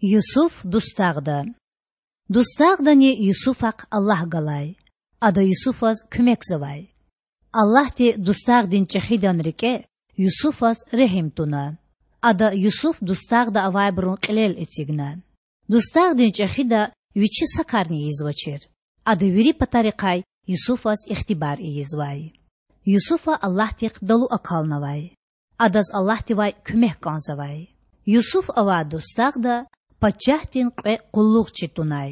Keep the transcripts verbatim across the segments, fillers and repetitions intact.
Юсуф дустагъда. Дустагъдани Юсуфахъ Аллагь галай. Ада Юсуфаз куьмекзавай. Аллагьди дустагъдин чІехидан рикІе Юсуфаз регьим туна. Ада Юсуф дустагъда авайбурун кьилел эцигна. Дустагъдин чІехида вичи са карни ийизвачир. Ада вири патарихъай Юсуфаз ихтибар ийизвай. Юсуфа Аллагьдихъ далу акалнавай. Адаз Аллагьдивай куьмек кІанзавай. Юсуф авай дустагъда пачагьдин кьве къуллугъчи тунай.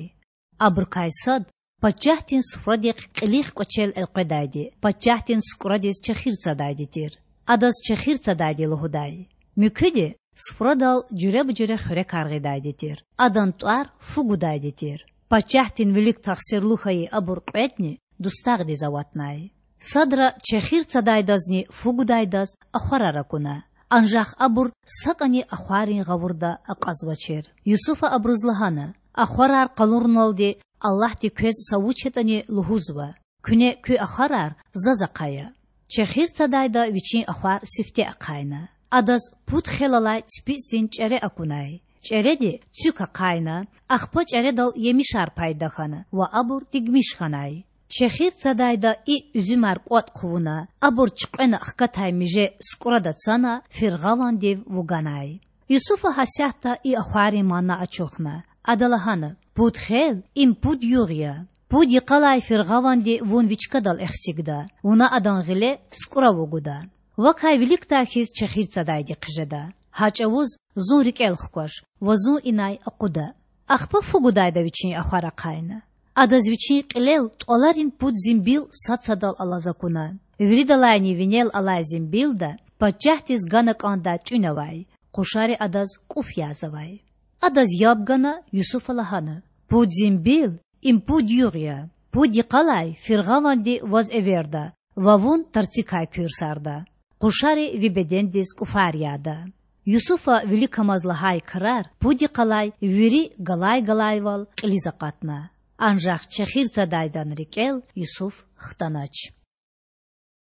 Абурукай сад пачагьдин суфрадихъ кьилихъ кІвачел элкъведайди, пачагьдин сукІрадиз чехир цадайди тир. Адаз чехир цадайди лугьудай. Муькуьди суфрадал жуьреба-жуьре хуьрекар гъидайди тир. Адан тІвар фу гудайди тир. Пачагьдин вилик тахсирлу хьайи абур кьведни дустагъдиз аватнай. Садра чехир цадайдазни фу гудайдаз ахварар акуна. Анжах абур сакІани ахваррин гъавурда акьазвачир. Юсуфа абуруз лагьана: Ахварар къалуруналди Аллагьди квез са вуч ятІани лугьузва. Куьне куь ахварар заз ахъая. Чехир цадайда вичин ахвар сифте ахъайна. Адаз пуд хел алай ципицІдин чІере акунай. ЧІереди цуьк ахъайна, ахпа чІередал емишар пайда хьана ва абур дигмиш хьанай. Чехир цадайда и уьзуьмар кІватІ хъувуна, абур чуькьвена хкатай миже сукІрада цана, фиргъавандив вуганай. Юсуфа гьасятда и ахваррин мана ачухна. Ада лагьана: Пуд хел— им пуд югъ я. Пуд йикъалай фиргъаванди вун ви чкадал эхцигда, вуна адан гъиле сукІра вугуда. Вакай виликдай хьиз чехир цадайди хъжеда. Гьа чІавуз зун рикІел хкваш ва зун инай акъуда. Ахпа фу гудайда вичин ахвар ахъайна. Адаз вичин кьилел тІваларин пуд зимбил сад-садал алаз акуна. Виридалайни винел алай зимбилда пачагьдиз гана кІандай тІуьн авай, къушари адаз кІуф язавай. Адаз яб гана, Юсуфа лагьана: Пуд зимбил— им пуд югъ я. Пуд йикъалай фиргъаванди ваз эверда ва вун тарцикай куьрсарда. Къушари ви бедендиз кІуфар яда. Юсуфа виликамаз лагьай крар пуд йикъалай вири галай-галайвал кьилиз акъатна. Анжах чехир цадайдан рикІел Юсуф хтанач.